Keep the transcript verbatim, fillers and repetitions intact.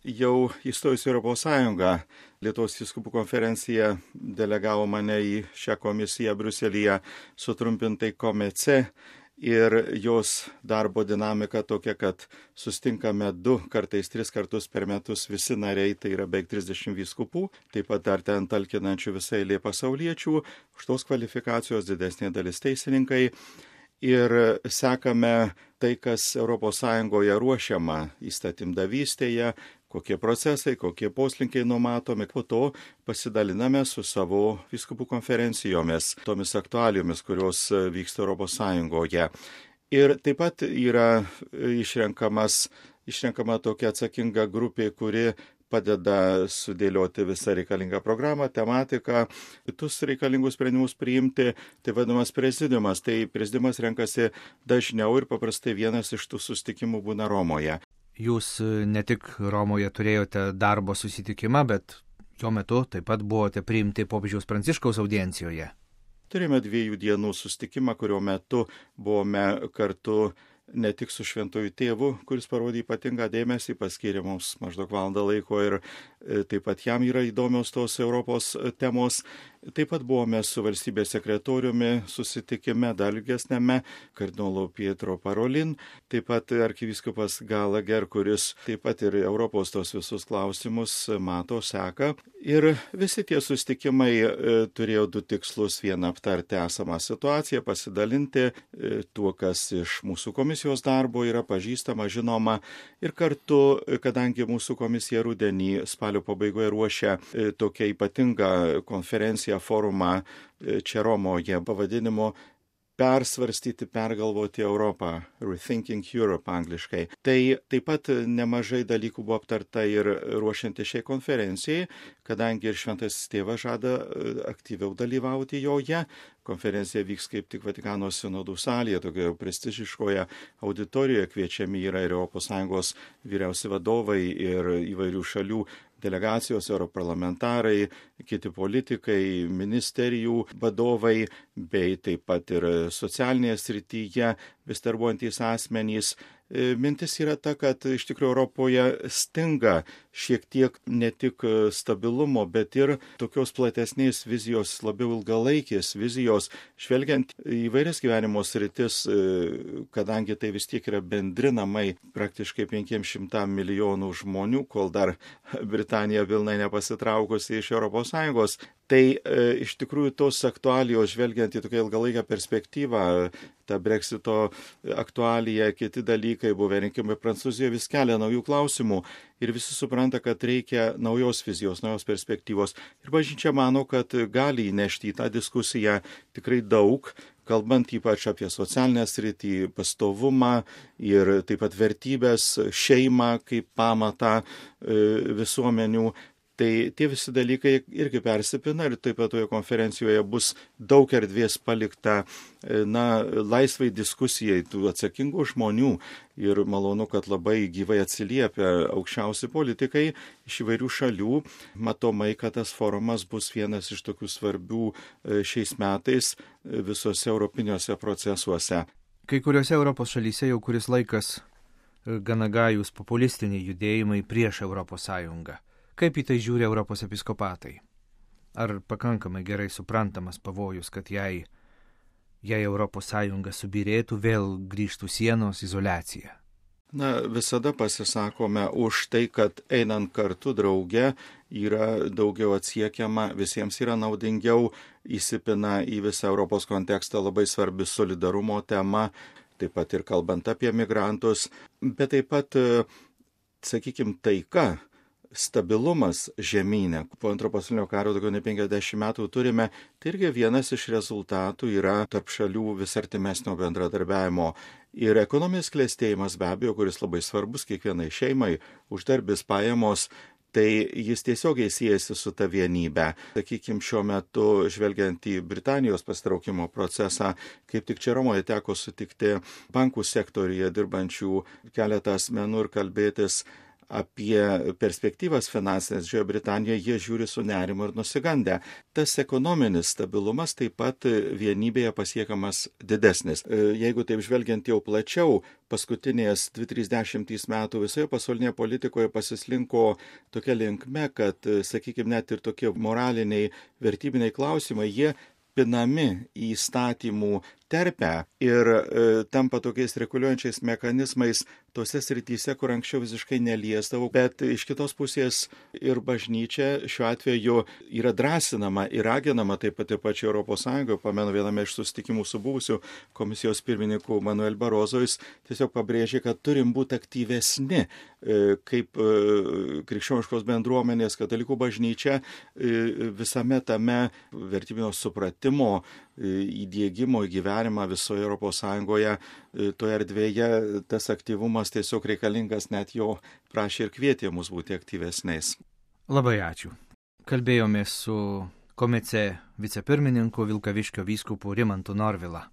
jau įstojus į Europos Sąjungą, Lietuvos vyskupų konferencija delegavo mane į šią komisiją Briuselyje, sutrumpintai komece, ir jos darbo dinamika tokia, kad sustinkame du kartais, tris kartus per metus visi nariai, tai yra beveik trisdešimt vyskupų, taip pat dar ten talkinančių visai eilė pasauliečių, už tos kvalifikacijos didesnė dalis teisininkai. Ir sekame tai, kas Europos Sąjungoje ruošiama įstatymdavystėje, kokie procesai, kokie poslinkiai numatomi. Po to pasidaliname su savo vyskupų konferencijomis, tomis aktualijomis, kurios vyksta Europos Sąjungoje. Ir taip pat yra išrenkamas, išrenkama tokia atsakinga grupė, kuri padeda sudėlioti visą reikalingą programą, tematiką, kitus reikalingus sprendimus priimti, tai vadinamas prezidiumas. Tai prezidiumas renkasi dažniau ir paprastai vienas iš tų susitikimų būna Romoje. Jūs ne tik Romoje turėjote darbo susitikimą, bet jo metu taip pat buvote priimti popiežiaus Pranciškaus audiencijoje. Turime dviejų dienų susitikimą, kurio metu buvome kartu ne tik su šventuoju tėvu, kuris parodė ypatingą dėmesį, paskyrė mums maždaug valandą laiko ir taip pat jam yra įdomios tos Europos temos. Taip pat buvome su valstybės sekretoriumi susitikime dar ilgesnėme, kardinolu Pietro Parolin, taip pat arkivyskupas Gallagher, kuris taip pat ir Europos tos visus klausimus mato, seka. Ir visi tie susitikimai e, turėjo du tikslus: vieną aptarti esamą situaciją, pasidalinti e, tuo, kas iš mūsų komisijos darbo yra pažįstama, žinoma, ir kartu, kadangi mūsų komisija rudenį spalio pabaigoje ruošia e, tokią ypatingą konferenciją, forumą čia Romoje pavadinimu persvarstyti, pergalvoti Europą, Rethinking Europe angliškai. Tai taip pat nemažai dalykų buvo aptarta ir ruošianti šiai konferencijai, kadangi ir šventasis tėvas žada aktyviau dalyvauti joje. Konferencija vyks kaip tik Vatikano sinodų salėje, tokioje prestižiškoje auditorijoje. Kviečiami yra ir Europos Sąjungos vyriausi vadovai ir įvairių šalių delegacijos, europarlamentarai, kiti politikai, ministerijų vadovai, bei taip pat ir socialinėje srityje vis darbuojantys asmenys. Mintis yra ta, kad iš tikrųjų Europoje stinga šiek tiek ne tik stabilumo, bet ir tokios platesnės vizijos, labiau ilgalaikės vizijos, žvelgiant į įvairias gyvenimo sritis, kadangi tai vis tiek yra bendri namai praktiškai penkiems šimtam milijonų žmonių, kol dar Britanija pilnai nepasitraukusi iš Europos Sąjungos. Tai e, iš tikrųjų tos aktualijos, žvelgiant į tokią ilgalaikę perspektyvą, ta Brexito aktualija, kiti dalykai, buvę rinkimai Prancūzijoje, vis kelia naujų klausimų ir visi supranta, kad reikia naujos vizijos, naujos perspektyvos. Ir bažnyčia mano, kad gali įnešti į tą diskusiją tikrai daug, kalbant ypač apie socialinę sritį, pastovumą ir taip pat vertybės, šeimą kaip pamatą e, visuomenių. Tai tie visi dalykai irgi persipina ir taip pat toje konferencijoje bus daug erdvės palikta na, laisvai diskusijai tų atsakingų žmonių. Ir malonu, kad labai gyvai atsiliepia aukščiausi politikai iš įvairių šalių. Matomai, kad tas forumas bus vienas iš tokių svarbių šiais metais visose europiniuose procesuose. Kai kuriuose Europos šalyse jau kuris laikas gana gajūs populistiniai judėjimai prieš Europos Sąjungą. Kaip į tai žiūri Europos episkopatai? Ar pakankamai gerai suprantamas pavojus, kad jei, jei Europos Sąjunga subirėtų, vėl grįžtų sienos izoliacija? Na, visada pasisakome už tai, kad einant kartu drauge yra daugiau atsiekiama, visiems yra naudingiau, įsipina į visą Europos kontekstą labai svarbi solidarumo tema, taip pat ir kalbant apie migrantus, bet taip pat, sakykime, taika, stabilumas žemynė. Po antro pasaulinio karo daugiau nei penkiasdešimt metų turime, tai irgi vienas iš rezultatų yra tarp šalių vis artimesnio bendradarbiavimo. Ir ekonominis klestėjimas be abejo, kuris labai svarbus kiekvienai šeimai, uždarbis, pajamos, tai jis tiesiogiai siejasi su ta vienybe. Sakykime, šiuo metu, žvelgiant į Britanijos pasitraukimo procesą, kaip tik čia Romoje teko sutikti bankų sektoriuje dirbančių keletą asmenų ir kalbėtis apie perspektyvas finansinės Didžiojoje Britanijoje, jie žiūri su nerimu ir nusigandę. Tas ekonominis stabilumas taip pat vienybėje pasiekamas didesnis. Jeigu taip žvelgiant jau plačiau, paskutinės dvi tris dešimtys metų visoje pasaulinėje politikoje pasislinko tokia linkme, kad, sakykime, net ir tokie moraliniai, vertybiniai klausimai, jie pinami į įstatymų terpę ir e, tampa tokiais reguliuojančiais mechanizmais tose srityse, kur anksčiau visiškai neliesdavau, bet iš kitos pusės ir bažnyčia šiuo atveju yra drąsinama ir raginama taip pat ir pačioje Europos Sąjungoje. Pamenu, viename iš susitikimų su buvusiu komisijos pirmininku Manuel Barozo, jis tiesiog pabrėžė, kad turim būti aktyvesni e, kaip e, krikščioniškos bendruomenės, katalikų bažnyčia e, visame tame vertybinio supratimo įdiegimo į gyvenimą visoje Europos Sąjungoje, toje erdvėje tas aktyvumas tiesiog reikalingas, net jo prašė ir kvietė mus būti aktyvesniais. Labai ačiū. Kalbėjomės su Komece vicepirmininku Vilkaviškio vyskupu Rimantu Norvila.